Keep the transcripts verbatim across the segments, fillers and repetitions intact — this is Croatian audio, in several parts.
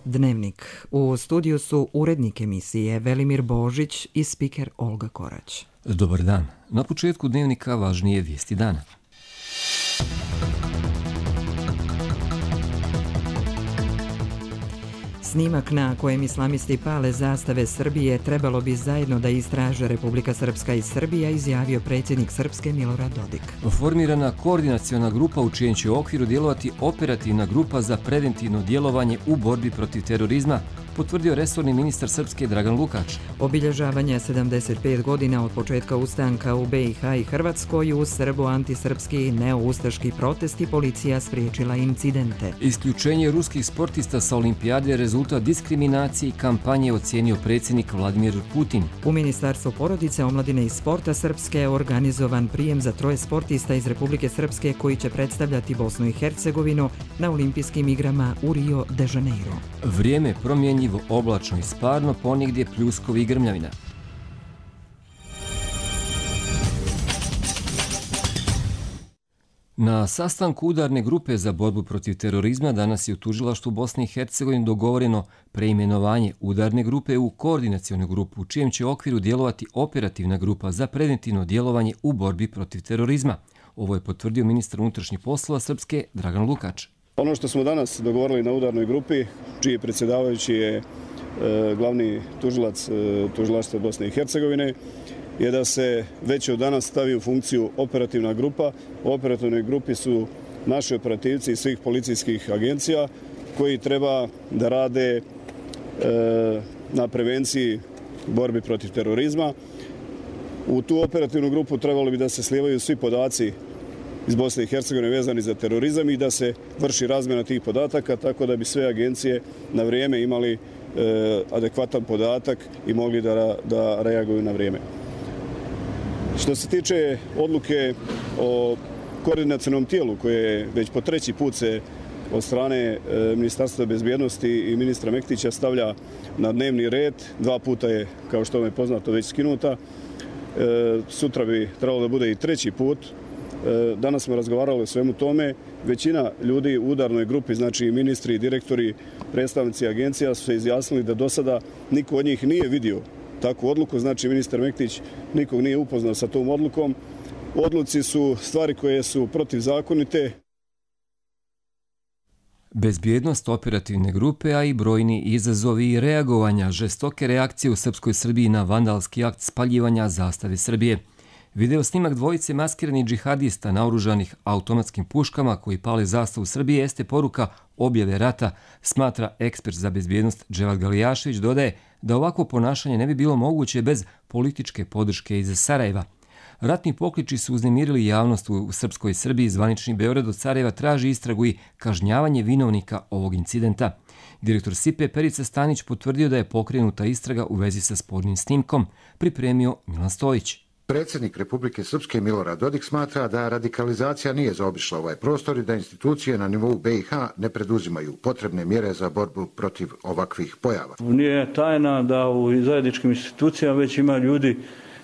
Dnevnik. U studiju su urednik emisije Velimir Božić i spiker Olga Korać. Dobar dan. Na početku Dnevnika važnije vijesti dana. Snimak na kojem islamisti pale zastave Srbije trebalo bi zajedno da istraže Republika Srpska i Srbija, izjavio predsjednik Srpske Milorad Dodik. Formirana koordinaciona grupa u čijem će okviru djelovati operativna grupa za preventivno djelovanje u borbi protiv terorizma, potvrdio resorni ministar Srpske Dragan Lukač. Obilježavanje sedamdeset pet godina od početka ustanka u B i H i Hrvatskoj, u srbo-antisrpski neoustaški protesti, policija spriječila incidente. Isključenje ruskih sportista sa olimpijade rezultat diskriminacije i kampanje ocijenio predsjednik Vladimir Putin. U Ministarstvu porodice, omladine i sporta Srpske je organizovan prijem za troje sportista iz Republike Srpske koji će predstavljati Bosnu i Hercegovinu na olimpijskim igrama u Rio de Janeiro. Vrijeme promjenjivo, oblačno i sparno, ponegdje pljuskovi i grmljavina. Na sastanku udarne grupe za borbu protiv terorizma danas je u tužilaštvu Bosne i Hercegovine dogovoreno preimenovanje udarne grupe u koordinacionu grupu, u čijem će okviru djelovati operativna grupa za preventivno djelovanje u borbi protiv terorizma. Ovo je potvrdio ministar unutrašnjih poslova Srpske Dragan Lukač. Ono što smo danas dogovorili na udarnoj grupi, čiji predsjedavajući je e, glavni tužilac e, tužilaštva Bosne i Hercegovine, je da se već od danas stavi u funkciju operativna grupa. U operativnoj grupi su naši operativci iz svih policijskih agencija koji treba da rade e, na prevenciji borbi protiv terorizma. U tu operativnu grupu trebalo bi da se slijevaju svi podaci iz Bosne i Hercegovine vezani za terorizam i da se vrši razmjena tih podataka tako da bi sve agencije na vrijeme imali e, adekvatan podatak i mogli da, da reaguju na vrijeme. Što se tiče odluke o koordinacionom tijelu koje već po treći put se od strane e, Ministarstva bezbjednosti i ministra Mektića stavlja na dnevni red, dva puta je, kao što vam je poznato, već skinuta. E, sutra bi trebalo da bude i treći put. Danas smo razgovarali o svemu tome. Većina ljudi u udarnoj grupi, znači ministri i direktori, predstavnici agencija, su se izjasnili da do sada niko od njih nije vidio takvu odluku. Znači ministar Mektić nikog nije upoznao sa tom odlukom. Odluci su stvari koje su protivzakonite. Bezbjednost operativne grupe, a i brojni izazovi i reagovanja, žestoke reakcije u Srpskoj Srbiji na vandalski akt spaljivanja zastave Srbije. Video snimak dvojice maskiranih džihadista naoružanih automatskim puškama koji pale zastavu Srbije jeste poruka objave rata, smatra ekspert za bezbjednost Dževad Galijašević. Dodaje da ovako ponašanje ne bi bilo moguće bez političke podrške iz Sarajeva. Ratni pokliči su uznemirili javnost u Srpskoj Srbiji. Zvanični Beograd od Sarajeva traži istragu i kažnjavanje vinovnika ovog incidenta. Direktor S I P-a Perica Stanić potvrdio da je pokrenuta istraga u vezi sa spornim snimkom, pripremio Milan Stojić. Predsjednik Republike Srpske Milorad Dodik smatra da radikalizacija nije zaobišla ovaj prostor i da institucije na nivou B i H ne preduzimaju potrebne mjere za borbu protiv ovakvih pojava. Nije tajna da u zajedničkim institucijama već ima ljudi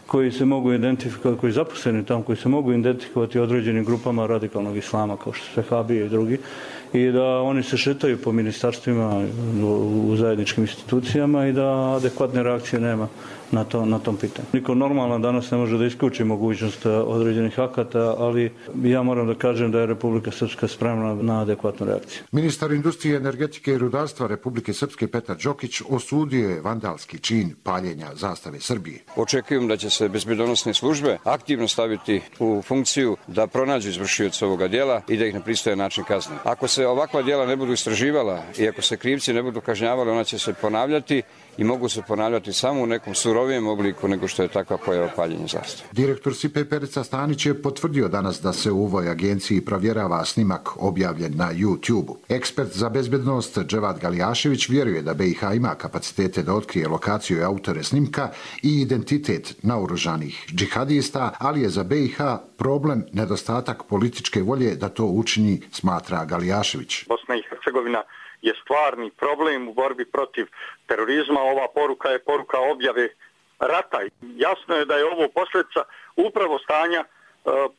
koji se mogu identifikovati, koji zaposleni tamo, koji se mogu identifikovati određenim grupama radikalnog islama, kao što su Vehabije i drugi, i da oni se šetaju po ministarstvima u zajedničkim institucijama i da adekvatne reakcije nema na, to, na tom pitanju. Niko normalno danas ne može da isključi mogućnost određenih akata, ali ja moram da kažem da je Republika Srpska spremna na adekvatnu reakciju. Ministar industrije, energetike i rudarstva Republike Srpske Petar Đokić osudio je vandalski čin paljenja zastave Srbije. Očekujem da će se bezbjednosne službe aktivno staviti u funkciju da pronađu izvršioca ovoga djela i da ih na pristojan način kazne. Ako se ovakva djela ne budu istraživala i ako se krivci ne budu kažnjavali, ona će se ponavljati i mogu se ponavljati samo u nekom surovijem obliku nego što je takva pojava paljenja zastave. Direktor S I P P-a Perica Stanić je potvrdio danas da se u ovoj agenciji provjerava snimak objavljen na YouTube-u. Ekspert za bezbjednost Dževad Galijašević vjeruje da B i H ima kapacitete da otkrije lokaciju i autore snimka i identitet naoružanih džihadista, ali je za B i H problem nedostatak političke volje da to učini, smatra Galijašević. Bosna i Hercegovina je stvarni problem u borbi protiv terorizma. Ova poruka je poruka objave rata. Jasno je da je ovo posljedica upravo stanja e,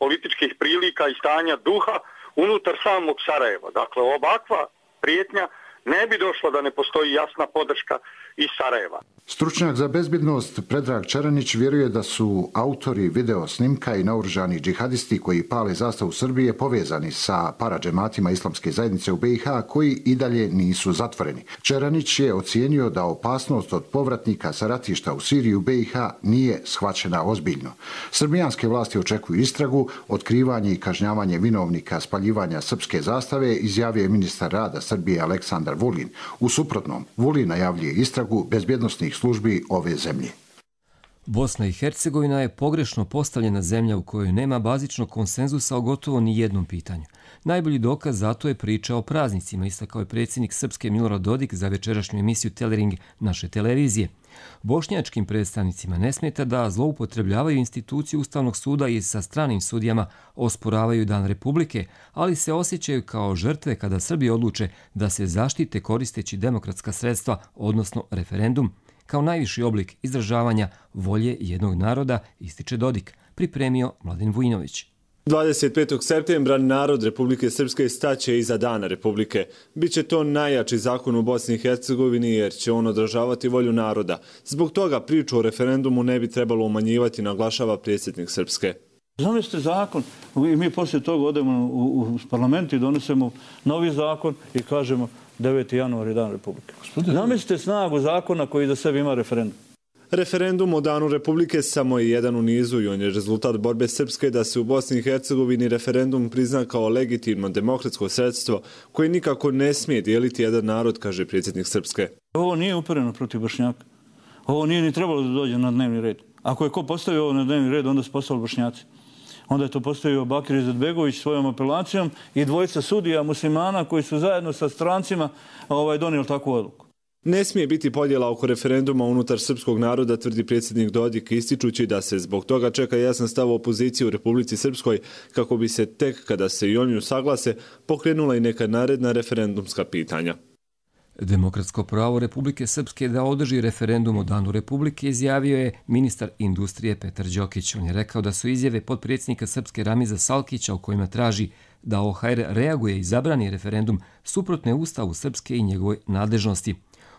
političkih prilika i stanja duha unutar samog Sarajeva. Dakle, ovakva prijetnja ne bi došlo da ne postoji jasna podrška iz Sarajeva. Stručnjak za bezbjednost Predrag Čeranić vjeruje da su autori video snimka i naoružani džihadisti koji pale zastavu Srbije povezani sa paradžematima islamske zajednice u B i H koji i dalje nisu zatvoreni. Čeranić je ocijenio da opasnost od povratnika sa ratišta u Siriju B i H nije shvaćena ozbiljno. Srbijanske vlasti očekuju istragu, otkrivanje i kažnjavanje vinovnika spaljivanja srpske zastave, izjavio je ministar rada Srbije Aleksandar Vulin. U suprotnom, Vulin najavljuje istragu bezbjednosnih službi ove zemlje. Bosna i Hercegovina je pogrešno postavljena zemlja u kojoj nema bazičnog konsenzusa o gotovo ni jednom pitanju. Najbolji dokaz za to je priča o praznicima, istakao je predsjednik Srpske Milorad Dodik za večerašnju emisiju Telering naše televizije. Bošnjačkim predstavnicima ne smeta da zloupotrebljavaju instituciju Ustavnog suda i sa stranim sudijama osporavaju Dan Republike, ali se osjećaju kao žrtve kada Srbi odluče da se zaštite koristeći demokratska sredstva, odnosno referendum, kao najviši oblik izražavanja volje jednog naroda, ističe Dodik, pripremio Mladen Vujinović. dvadeset petog septembra narod Republike Srpske staće iza Dana Republike. Biće to najjači zakon u Bosni i Hercegovini jer će on odražavati volju naroda. Zbog toga priču o referendumu ne bi trebalo umanjivati, naglašava predsjednik Srpske. Zamislite zakon i mi poslije toga odemo u, u parlament i donesemo novi zakon i kažemo deveti januar je Dan Republike. Zamislite snagu zakona koji za sebe ima referendum. Referendum o Danu Republike samo je jedan u nizu i on je rezultat borbe Srpske da se u Bosni i Hercegovini referendum prizna kao legitimno demokratsko sredstvo koje nikako ne smije dijeliti jedan narod, kaže predsjednik Srpske. Ovo nije upereno protiv Bošnjaka. Ovo nije ni trebalo da dođe na dnevni red. Ako je ko postavio ovo na dnevni red, onda su postavili Bošnjaci. Onda je to postavio Bakir Izetbegović svojom apelacijom i dvojica sudija muslimana koji su zajedno sa strancima ovaj, donijeli takvu odluku. Ne smije biti podjela oko referenduma unutar srpskog naroda, tvrdi predsjednik Dodik, ističući da se zbog toga čeka jasan stav opozicije u Republici Srpskoj, kako bi se tek kada se i oni usaglase pokrenula i neka naredna referendumska pitanja. Demokratsko pravo Republike Srpske da održi referendum o Danu Republike izjavio je ministar industrije Petar Đokić. On je rekao da su izjave potpredsjednika Srpske Ramiza Salkića u kojima traži da O H R reaguje i zabrani referendum suprotne Ustavu Srpske i njegovoj nadležnosti.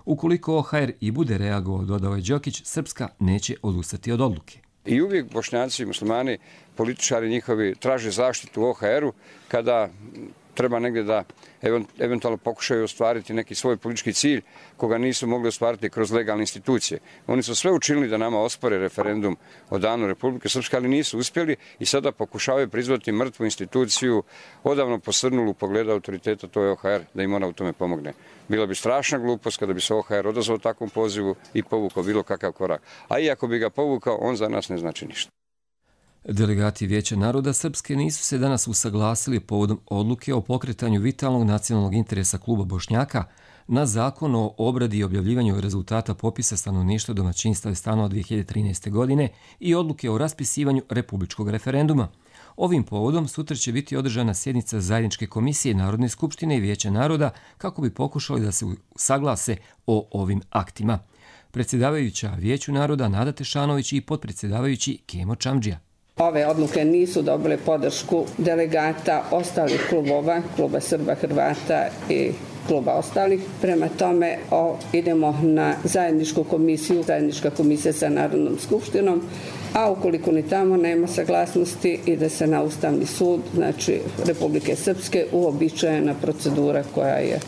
Ukoliko O H R i bude reagovao, dodao je Đokić, Srpska neće odustati od odluke. I uvijek Bošnjaci i muslimani, političari njihovi, traže zaštitu u O H R-u kada treba negdje da eventualno pokušaju ostvariti neki svoj politički cilj koga nisu mogli ostvariti kroz legalne institucije. Oni su sve učinili da nama ospore referendum o Danu Republike Srpske, ali nisu uspjeli i sada pokušavaju prizvati mrtvu instituciju, odavno posrnulu u pogledu autoriteta, to je O H R, da im ona u tome pomogne. Bila bi strašna glupost kada bi se O H R odazvao takvom pozivu i povukao bilo kakav korak. A i ako bi ga povukao, on za nas ne znači ništa. Delegati Vijeća naroda Srpske nisu se danas usaglasili povodom odluke o pokretanju vitalnog nacionalnog interesa kluba Bošnjaka na zakon o obradi i objavljivanju rezultata popisa stanovništva, domaćinstva i stanova dvije hiljade trinaeste. godine i odluke o raspisivanju republičkog referenduma. Ovim povodom sutra će biti održana sjednica zajedničke komisije Narodne skupštine i Vijeća naroda kako bi pokušali da se usaglase o ovim aktima. Predsjedavajuća Vijeću naroda Nada Tešanović i potpredsjedavajući Kemo Čamdžija. Ove odluke nisu dobile podršku delegata ostalih klubova, kluba Srba, Hrvata i kluba ostalih. Prema tome o, idemo na zajedničku komisiju, zajednička komisija sa Narodnom skupštinom, a ukoliko ni tamo nema saglasnosti, ide se na Ustavni sud, znači Republike Srpske, uobičajena procedura koja je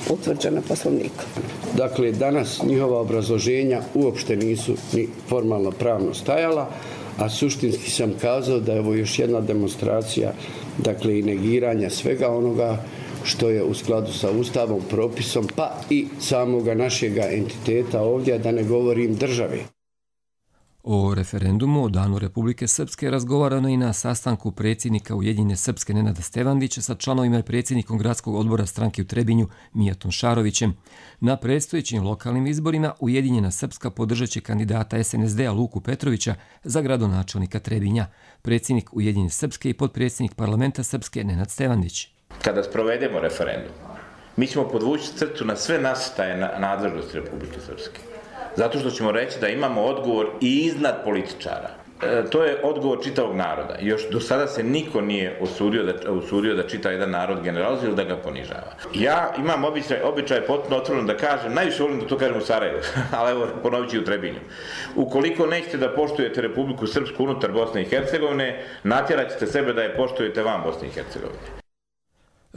utvrđena poslovnikom. Dakle, danas njihova obrazloženja uopšte nisu ni formalno pravno stajala, a suštinski sam kazao da je ovo još jedna demonstracija, dakle i negiranja svega onoga što je u skladu sa Ustavom, propisom, pa i samoga našega entiteta ovdje, da ne govorim države. O referendumu o Danu Republike Srpske razgovarano i na sastanku predsjednika Ujedinjene Srpske Nenada Stevandića sa članovima i predsjednikom gradskog odbora stranke u Trebinju Mijatom Šarovićem. Na predstojećim lokalnim izborima Ujedinjena Srpska podržat će kandidata S N S D-a Luku Petrovića za gradonačelnika Trebinja. Predsjednik Ujedinjene Srpske i potpredsjednik parlamenta Srpske Nenad Stevandić. Kada sprovedemo referendum, mi ćemo podvući crtu na sve nasrtaje na nadležnosti Republike Srpske. Zato što ćemo reći da imamo odgovor i iznad političara. To je odgovor čitavog naroda. Još do sada se niko nije usudio da, usudio da čita jedan narod generalizuje ili da ga ponižava. Ja imam običaj, običaj potpuno otvoreno da kažem, najviše volim da to kažem u Sarajevu, ali evo ponovit ću u Trebinju. Ukoliko nećete da poštujete Republiku Srpsku unutar Bosne i Hercegovine, natjerat ćete sebe da je poštujete van Bosne i Hercegovine.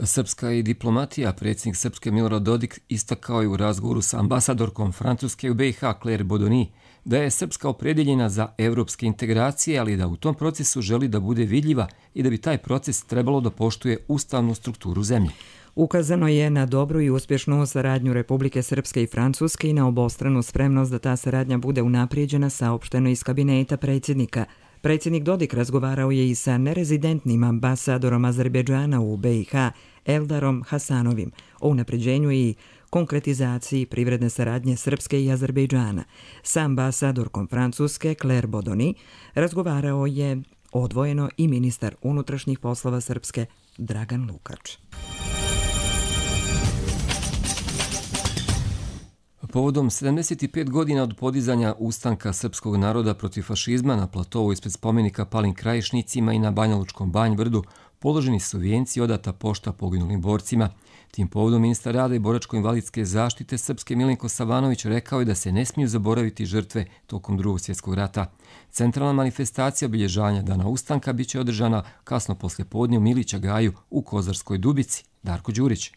Srpska i diplomatija, predsjednik Srpske Milorad Dodik istakao je u razgovoru sa ambasadorkom Francuske u B i H Claire Bodoni da je Srpska opredjeljena za evropske integracije, ali da u tom procesu želi da bude vidljiva i da bi taj proces trebalo da poštuje ustavnu strukturu zemlje. Ukazano je na dobru i uspješnu saradnju Republike Srpske i Francuske i na obostranu spremnost da ta saradnja bude unaprijeđena, saopšteno iz kabineta predsjednika. Predsjednik Dodik razgovarao je i sa nerezidentnim ambasadorom Azerbejdžana u B i H Eldarom Hasanovim o unapređenju i konkretizaciji privredne saradnje Srpske i Azerbejdžana. Sa ambasadorkom Francuske Claire Bodoni razgovarao je odvojeno i ministar unutrašnjih poslova Srpske Dragan Lukač. Povodom sedamdeset pet godina od podizanja ustanka srpskog naroda protiv fašizma na platovu ispred spomenika palim krajišnicima i na Banjalučkom Banj-Brdu položeni su vijenci i odata pošta poginulim borcima. Tim povodom ministar rada i boračko-invalidske zaštite Srpske Milenko Savanović rekao je da se ne smiju zaboraviti žrtve tokom Drugog svjetskog rata. Centralna manifestacija obilježavanja Dana ustanka biće održana kasno poslijepodne u Milića Gaju u Kozarskoj Dubici. Darko Đurić.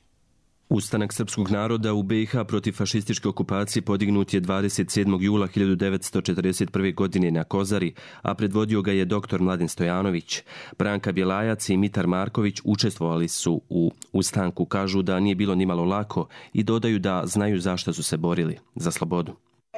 Ustanak srpskog naroda u B i H protiv fašističke okupacije podignut je dvadeset sedmog jula hiljadu devetsto četrdeset prve. godine na Kozari, a predvodio ga je doktor Mladen Stojanović. Branka Bjelajac i Mitar Marković učestvovali su u ustanku, kažu da nije bilo nimalo lako i dodaju da znaju zašto su se borili za slobodu.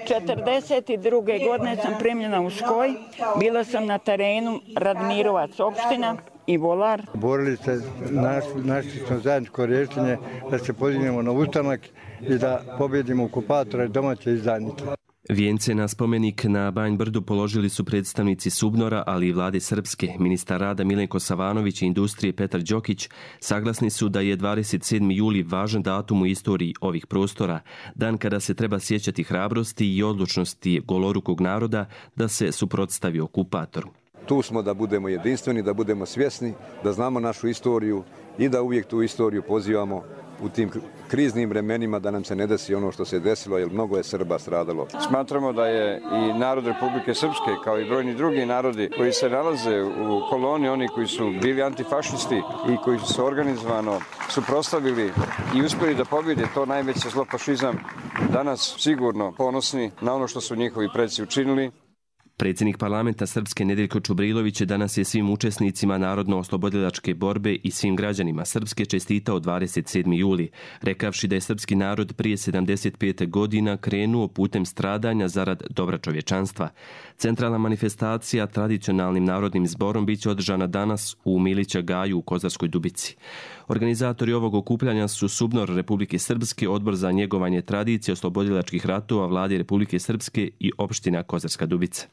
četrdeset druge. godine sam primljena u Skoj, bila sam na terenu Radmirovac opština i Volar. Borili se, našli, našli smo zajedničko rješenje da se podignemo na ustanak i da pobjedimo okupatora i domaće izdajnike. Vijence na spomenik na Banj Brdu položili su predstavnici Subnora, ali i vlade Srpske. Ministar rada Milenko Savanović i industrije Petar Đokić saglasni su da je dvadeset sedmi juli važan datum u istoriji ovih prostora, dan kada se treba sjećati hrabrosti i odlučnosti golorukog naroda da se suprotstavi okupatoru. Tu smo da budemo jedinstveni, da budemo svjesni, da znamo našu istoriju i da uvijek tu istoriju pozivamo u tim kriznim vremenima da nam se ne desi ono što se desilo, jer mnogo je Srba stradalo. Smatramo da je i narod Republike Srpske, kao i brojni drugi narodi koji se nalaze u koloni, oni koji su bili antifašisti i koji su se organizovano suprotstavili i uspjeli da pobjede to najveće zlo fašizam, danas sigurno ponosni na ono što su njihovi preci učinili. Predsjednik parlamenta Srpske Nedeljko Čubrilović danas je svim učesnicima narodno-oslobodilačke borbe i svim građanima Srpske čestitao dvadeset sedmi juli, rekavši da je srpski narod prije sedamdeset pet godina krenuo putem stradanja zarad dobra čovječanstva. Centralna manifestacija tradicionalnim narodnim zborom biće održana danas u Milića Gaju u Kozarskoj Dubici. Organizatori ovog okupljanja su Subnor Republike Srpske, Odbor za njegovanje tradicije oslobodilačkih ratova Vlade Republike Srpske i opština Kozarska Dubica.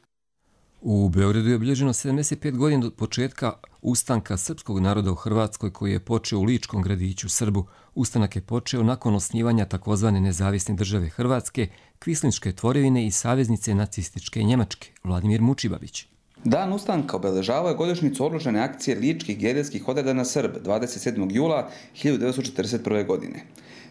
U Beogradu je obilježeno sedamdeset pet godina od početka ustanka srpskog naroda u Hrvatskoj koji je počeo u Ličkom gradiću Srbu. Ustanak je počeo nakon osnivanja takozvane nezavisne države Hrvatske, kvislinške tvorevine i saveznice nacističke Njemačke. Vladimir Mučibabić. Dan ustanka obeležavao je godišnjicu odlučene akcije ličkih gerilskih odreda na Srb dvadeset sedmog jula hiljadu devetsto četrdeset prve. godine.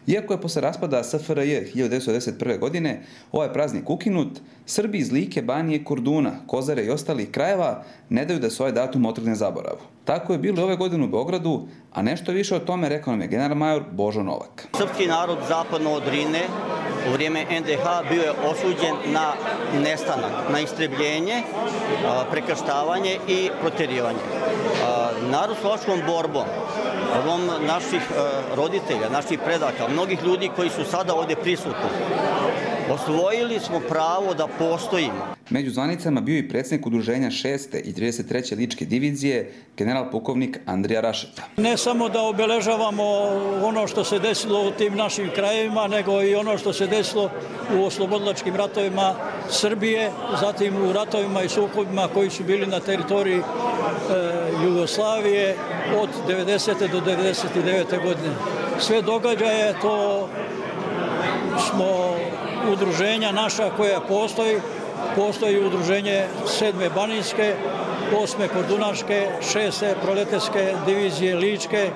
Iako je posle raspada S F R J hiljadu devetsto devedeset prve. godine ovaj praznik ukinut, Srbi iz Like, Banije, Korduna, Kozare i ostalih krajeva ne daju da se ovaj datum otrgne zaboravu. Tako je bilo ove godine u Beogradu, a nešto više o tome rekao nam je general major Božo Novak. Srpski narod zapadno od Drine u vrijeme N D H bio je osuđen na nestanak, na istrebljenje, prekrštavanje i protjerivanje. Narod slovačkom borbom, ovom naših roditelja, naših predaka, mnogih ljudi koji su sada ovdje prisutni, osvojili smo pravo da postojimo. Među zvanicama bio i predsjednik udruženja šeste i trideset treće ličke divizije, general pukovnik Andrija Rašeta. Ne samo da obeležavamo ono što se desilo u tim našim krajevima, nego i ono što se desilo u oslobodilačkim ratovima Srbije, zatim u ratovima i sukobima koji su bili na teritoriji e, Jugoslavije od devedesete do devedeset devete. godine. Sve događaje to smo udruženja naša koja postoji postoji udruženje sedme Banijske, osme Kordunaške, šeste Proleterske divizije Ličke,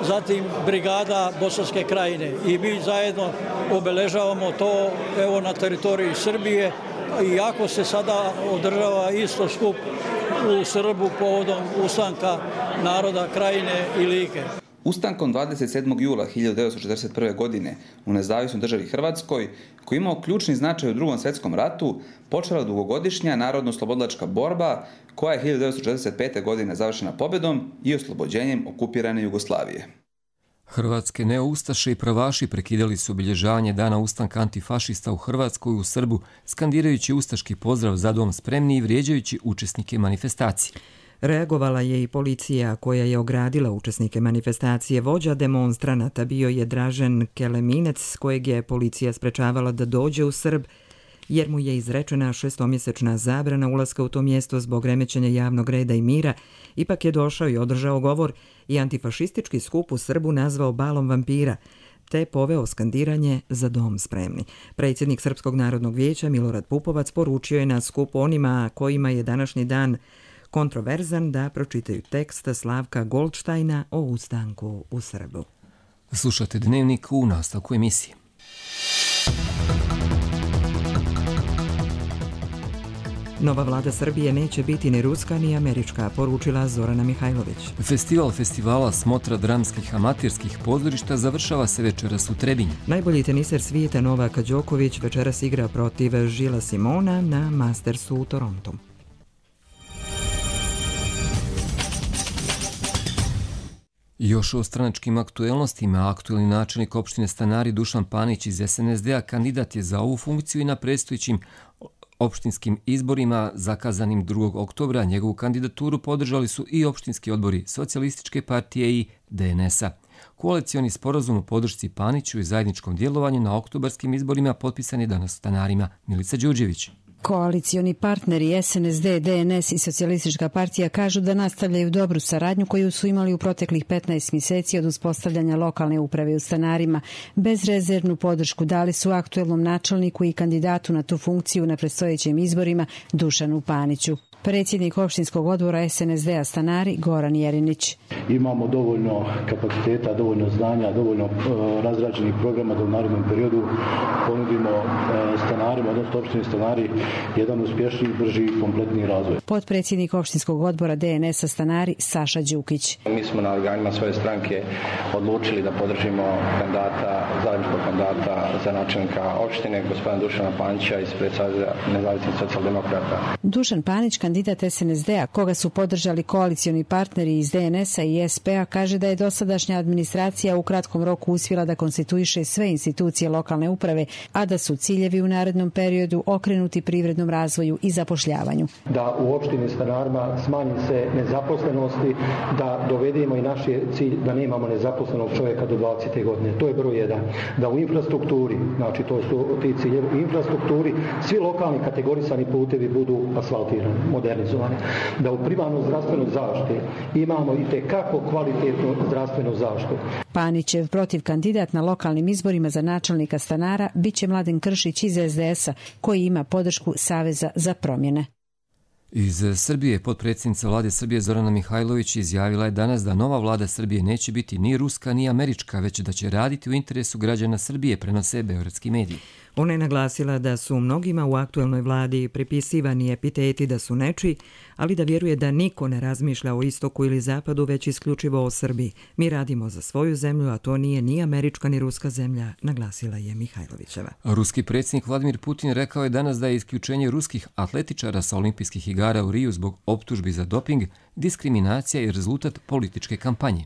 zatim brigada Bosanske Krajine. I mi zajedno obeležavamo to evo na teritoriji Srbije, iako se sada održava isto skup u Srbu povodom ustanka naroda Krajine i Like. Ustankom dvadeset sedmog jula hiljadu devetsto četrdeset prve. godine u nezavisnoj državi Hrvatskoj, koji imao ključni značaj u Drugom svjetskom ratu, počela dugogodišnja narodno-oslobodilačka borba koja je hiljadu devetsto četrdeset pete. godine završena pobjedom i oslobođenjem okupirane Jugoslavije. Hrvatske neoustaše i pravaši prekidali su obilježavanje dana ustanka antifašista u Hrvatskoj u Srbu, skandirajući ustaški pozdrav za dom spremni i vrijeđajući učesnike manifestacije. Reagovala je i policija koja je ogradila učesnike manifestacije. Vođa demonstranata bio je Dražen Keleminec, kojeg je policija sprečavala da dođe u Srb, jer mu je izrečena šestomjesečna zabrana ulaska u to mjesto zbog remećenja javnog reda i mira. Ipak je došao i održao govor i antifašistički skup u Srbu nazvao balom vampira, te poveo skandiranje za dom spremni. Predsjednik Srpskog narodnog vijeća Milorad Pupovac poručio je na skupu onima kojima je današnji dan kontroverzan da pročitaju tekst Slavka Goldštajna o ustanku u Srbu. Slušate Dnevnik u nastavku emisije. Nova vlada Srbije neće biti ni ruska ni američka, poručila Zorana Mihajlović. Festival festivala Smotra dramskih amaterskih pozorišta završava se večeras u Trebinju. Najbolji teniser svijeta Novak Đoković večeras igra protiv Žila Simona na Mastersu u Torontu. Još o stranačkim aktuelnostima, aktuelni načelnik opštine Stanari Dušan Panić iz es en es de a kandidat je za ovu funkciju i na predstojećim opštinskim izborima zakazanim drugog oktobra. Njegovu kandidaturu podržali su i opštinski odbori Socijalističke partije i de en es a. Koalicioni sporazum o podršci Paniću i zajedničkom djelovanju na oktobarskim izborima potpisan je danas Stanarima. Milica Đurđević. Koalicioni partneri es en es de, de en es i Socijalistička partija kažu da nastavljaju dobru saradnju koju su imali u proteklih petnaest mjeseci od uspostavljanja lokalne uprave u Stanarima. Bezrezervnu podršku dali su aktuelnom načelniku i kandidatu na tu funkciju na predstojećim izborima Dušanu Paniću. Predsjednik opštinskog odbora es en es de a Stanari Goran Jerinić. Imamo dovoljno kapaciteta, dovoljno znanja, dovoljno uh, razrađenih programa da u narednom periodu ponudimo uh, stanarima, odnosno opštini Stanari, jedan uspješniji, brži i kompletniji razvoj. Potpredsjednik opštinskog odbora de en es a Stanari Saša Đukić. Mi smo na organima svoje stranke odlučili da podržimo kandidata, zajedničkog kandidata za načelnika opštine, gospodina Dušana Panića ispred Saveza nezavisnih socijaldemokrata. Dušan Panić, kandidat es en es de a, koga su podržali koalicioni partneri iz de en es a i es pe a, kaže da je dosadašnja administracija u kratkom roku uspjela da konstituiše sve institucije lokalne uprave, a da su ciljevi u narednom periodu okrenuti privrednom razvoju i zapošljavanju. Da u opštini Stanarima smanji se nezaposlenosti, da dovedemo i naš je cilj da nemamo nezaposlenog čovjeka do dvadesete godine. To je broj jedan. Da u infrastrukturi, znači to su ti ciljevi, u infrastrukturi svi lokalni kategorisani putevi budu asfaltirani, modernizovani. Da u primarnoj zdravstvenoj zaštiti imamo i tekako kvalitetnu zdravstvenu zaštitu. Panićev protiv kandidat na lokalnim izborima za načelnika Stanara biće Mladen Kršić iz es de es a, koji ima podršku Saveza za promjene. Iz Srbije potpredsjednica vlade Srbije Zorana Mihajlović izjavila je danas da nova vlada Srbije neće biti ni ruska ni američka, već da će raditi u interesu građana Srbije, prenose beogradski mediji. Ona je naglasila da su mnogima u aktuelnoj vladi pripisivani epiteti da su nečiji, ali da vjeruje da niko ne razmišlja o istoku ili zapadu, već isključivo o Srbiji. Mi radimo za svoju zemlju, a to nije ni američka ni ruska zemlja, naglasila je Mihajlovićeva. Ruski predsjednik Vladimir Putin rekao je danas da je isključenje ruskih atletičara sa olimpijskih igara u Riju zbog optužbi za doping diskriminacija i rezultat političke kampanje.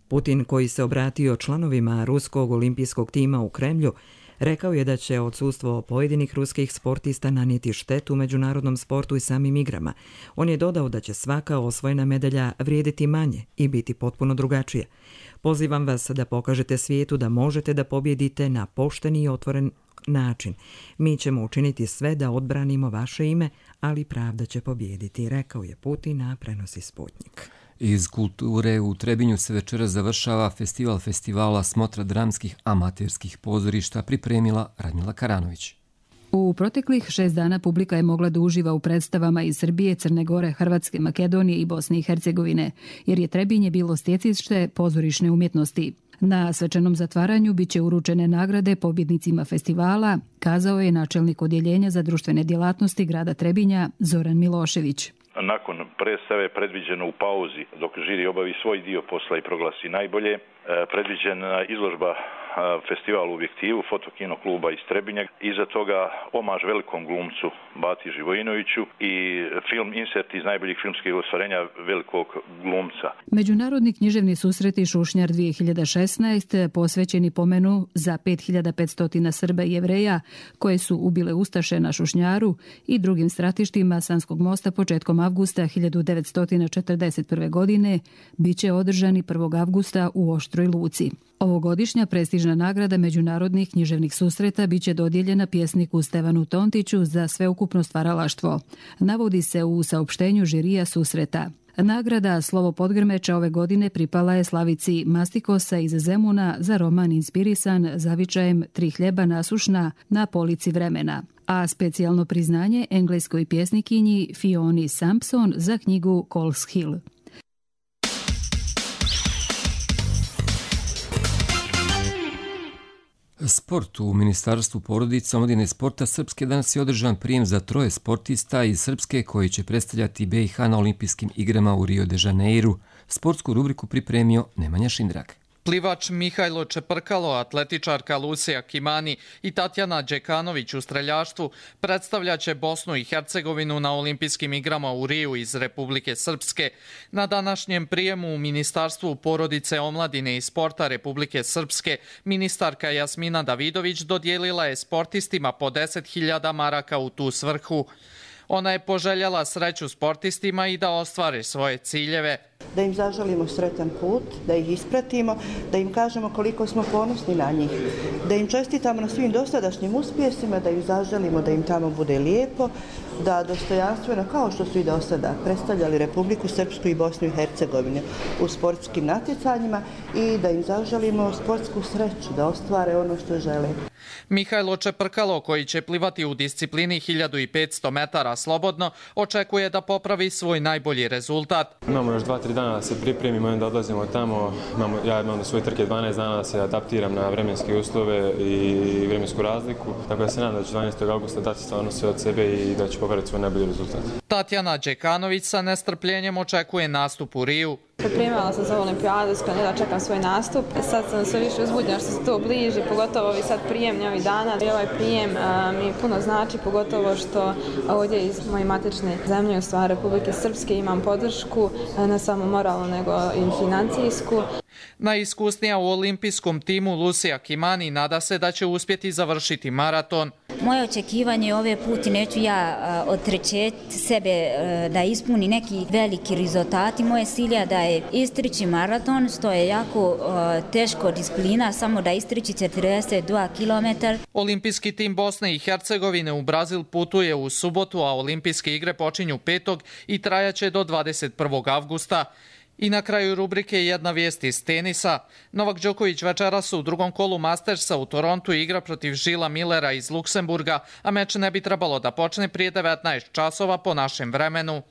Putin, koji se obratio članovima ruskog olimpijskog tima u Kremlju, rekao je da će odsustvo pojedinih ruskih sportista nanijeti štetu međunarodnom sportu i samim igrama. On je dodao da će svaka osvojena medalja vrijediti manje i biti potpuno drugačija. Pozivam vas da pokažete svijetu da možete da pobjedite na pošteni i otvoren način. Mi ćemo učiniti sve da odbranimo vaše ime, ali pravda će pobijediti, rekao je Putin, a prenosi Sputnik. Iz kulture u Trebinju se večeras završava festival festivala Smotra dramskih amaterskih pozorišta, pripremila Radmila Karanović. U proteklih šest dana publika je mogla da uživa u predstavama iz Srbije, Crne Gore, Hrvatske, Makedonije i Bosne i Hercegovine, jer je Trebinje bilo stjecište pozorišne umjetnosti. Na svečanom zatvaranju biće uručene nagrade pobjednicima festivala, kazao je načelnik odjeljenja za društvene djelatnosti grada Trebinja Zoran Milošević. Nakon predstave predviđeno u pauzi dok žiri obavi svoj dio posla i proglasi najbolje, predviđena izložba festival u objektivu Fotokino kluba iz Trebinja. Iza toga omaž velikom glumcu Bati Živojinoviću i film insert iz najboljih filmskih ostvarenja velikog glumca. Međunarodni književni susreti Šušnjar dvije hiljade šesnaest posvećeni pomenu za pet hiljada petsto Srba i Jevreja koje su ubile ustaše na Šušnjaru i drugim stratištima Sanskog mosta početkom avgusta hiljadu devetsto četrdeset prve. godine biće održani prvog avgusta u Oštroj Luci. Ovogodišnja prestižna nagrada međunarodnih književnih susreta biće dodijeljena pjesniku Stevanu Tontiću za sveukupno stvaralaštvo. Navodi se u saopštenju žirija susreta. Nagrada Slovo Podgrmeča ove godine pripala je Slavici Mastikosa iz Zemuna za roman inspirisan zavičajem Tri hljeba nasušna na polici vremena, a specijalno priznanje engleskoj pjesnikinji Fioni Sampson za knjigu Coles Hill. Sport. U Ministarstvu porodice, omladine i sporta Srpske danas je održan prijem za troje sportista iz Srpske koji će predstavljati B i H na olimpijskim igrama u Rio de Janeiru. Sportsku rubriku pripremio Nemanja Šindrag. Plivač Mihajlo Čeprkalo, atletičarka Lucija Kimani i Tatjana Đekanović u streljaštvu predstavljaće Bosnu i Hercegovinu na olimpijskim igrama u Riju iz Republike Srpske. Na današnjem prijemu u Ministarstvu porodice, omladine i sporta Republike Srpske ministarka Jasmina Davidović dodijelila je sportistima po deset hiljada maraka u tu svrhu. Ona je poželjela sreću sportistima i da ostvare svoje ciljeve. Da im zaželimo sretan put, da ih ispratimo, da im kažemo koliko smo ponosni na njih, da im čestitamo na svim dosadašnjim uspjesima, da im zaželimo da im tamo bude lijepo, da dostojanstveno, kao što su i do sada predstavljali Republiku Srpsku i Bosnu i Hercegovinu u sportskim natjecanjima i da im zaželimo sportsku sreću, da ostvare ono što žele. Mihajlo Čeprkalo, koji će plivati u disciplini hiljadu petsto metara slobodno, očekuje da popravi svoj najbolji rezultat. Imamo još dva tri dana da se pripremimo i onda odlazimo tamo. Imamo, ja imam svoje trke dvanaest dana da se adaptiram na vremenske uslove i vremensku razliku. Tako da se nadam da ću dvanaestog augusta dati stvarno sve od sebe i da ću popraviti svoj najbolji rezultat. Tatjana Đekanović sa nestrpljenjem očekuje nastup u Riju. Pripremala sam za olimpijadu, s kojom ne da čekam svoj nastup. Sad sam sve više uzbuđena što se to bliži, pogotovo ovi sad prijemni ovih dana. I ovaj prijem a, mi puno znači, pogotovo što ovdje iz moje matične zemlje, u stvari Republike Srpske, imam podršku, ne samo moralnu, nego i financijsku. Najiskusnija u olimpijskom timu Lucija Kimani nada se da će uspjeti završiti maraton. Moje očekivanje ove puti neću ja odrećeti sebe da ispuni neki veliki rezultati. Moje cilja da je istrići maraton, što je jako teško disciplina, samo da istrići četrdeset dva kilometra. Olimpijski tim Bosne i Hercegovine u Brazil putuje u subotu, a olimpijske igre počinju petog i trajaće do dvadeset prvog avgusta. I na kraju rubrike jedna vijest iz tenisa. Novak Đoković večeras u drugom kolu Mastersa u Torontu igra protiv Žila Millera iz Luksemburga, a meč ne bi trebalo da počne prije devetnaest časova po našem vremenu.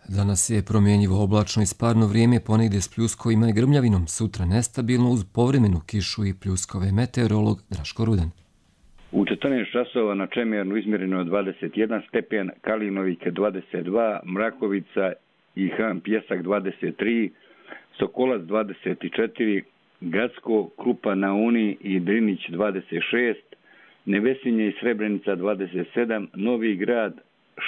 Danas je promjenjivo oblačno i sparno vrijeme, ponegdje s pljuskovima i grmljavinom, sutra nestabilno uz povremenu kišu i pljuskove. Meteorolog Draško Rudan. U četrnaest časova na Čemernu izmjereno dvadeset jedan stepen, Kalinovik dvadeset dva, Mrakovica i Han Pjesak dvadeset tri, Sokolac dvadeset četiri, Gacko, Krupa na Uni i Drinić dvadeset šest, Nevesinje i Srebrenica dvadeset sedam, Novi Grad,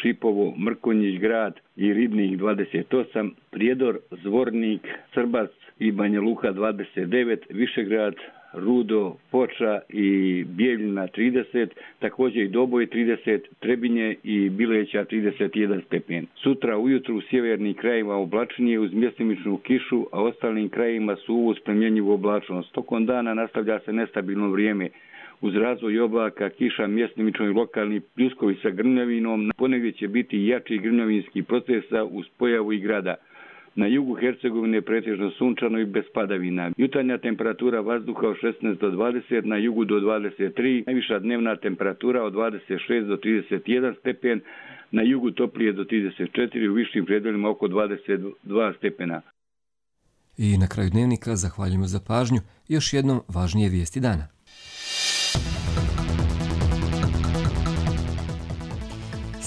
Šipovo, Mrkonjić grad i Ribnik dvadeset osam, Prijedor, Zvornik, Srbac i Banja Luka dvadeset devet, Višegrad, Rudo, Foča i Bijeljina trideset, također i Doboj trideset, Trebinje i Bileća trideset jedan stepen. Sutra ujutru u sjevernim krajima oblačnije uz mjestimičnu kišu, a ostalim krajima su uz promjenjivu oblačnost. Tokom dana nastavlja se nestabilno vrijeme. Uz razvoj oblaka, kiša, mjestimično i lokalni pljuskovi sa grmljavinom, ponegdje će biti jači grmljavinski procesa uz pojavu i grada. Na jugu Hercegovine pretežno sunčano i bez padavina. Jutarnja temperatura vazduha od šesnaest do dvadeset, na jugu do dvadeset tri, najviša dnevna temperatura od dvadeset šest do trideset jedan stepen, na jugu toplije do trideset četiri, u višim predelima oko dvadeset dva stepena. I na kraju dnevnika zahvaljujemo za pažnju. Još jednom važnije vijesti dana.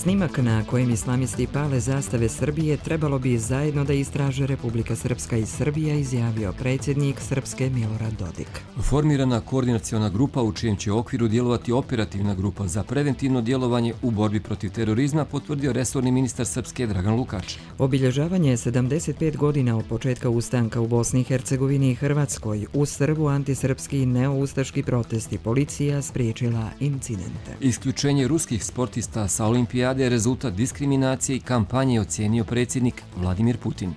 Snimak na kojem islamisti pale zastave Srbije trebalo bi zajedno da istraže Republika Srpska i Srbija, izjavio predsjednik Srpske Milorad Dodik. Formirana koordinaciona grupa u čijem će okviru djelovati operativna grupa za preventivno djelovanje u borbi protiv terorizma, potvrdio resorni ministar Srpske Dragan Lukač. Obilježavanje sedamdeset pet godina od početka ustanka u Bosni i Hercegovini i Hrvatskoj, u Srbu antisrpski i neoustaški protesti, policija spriječila incidente. Isključenje ruskih sportista sa olimpijade je rezultat diskriminacije i kampanje, ocijenio predsjednik Vladimir Putin.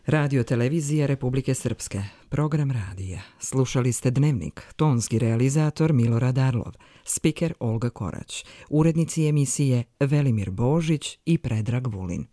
Radio televizija Republike Srpske, program radija. Slušali ste Dnevnik, tonski realizator Milorad Arlov, spiker Olga Korać, urednici emisije Velimir Božić i Predrag Vulin.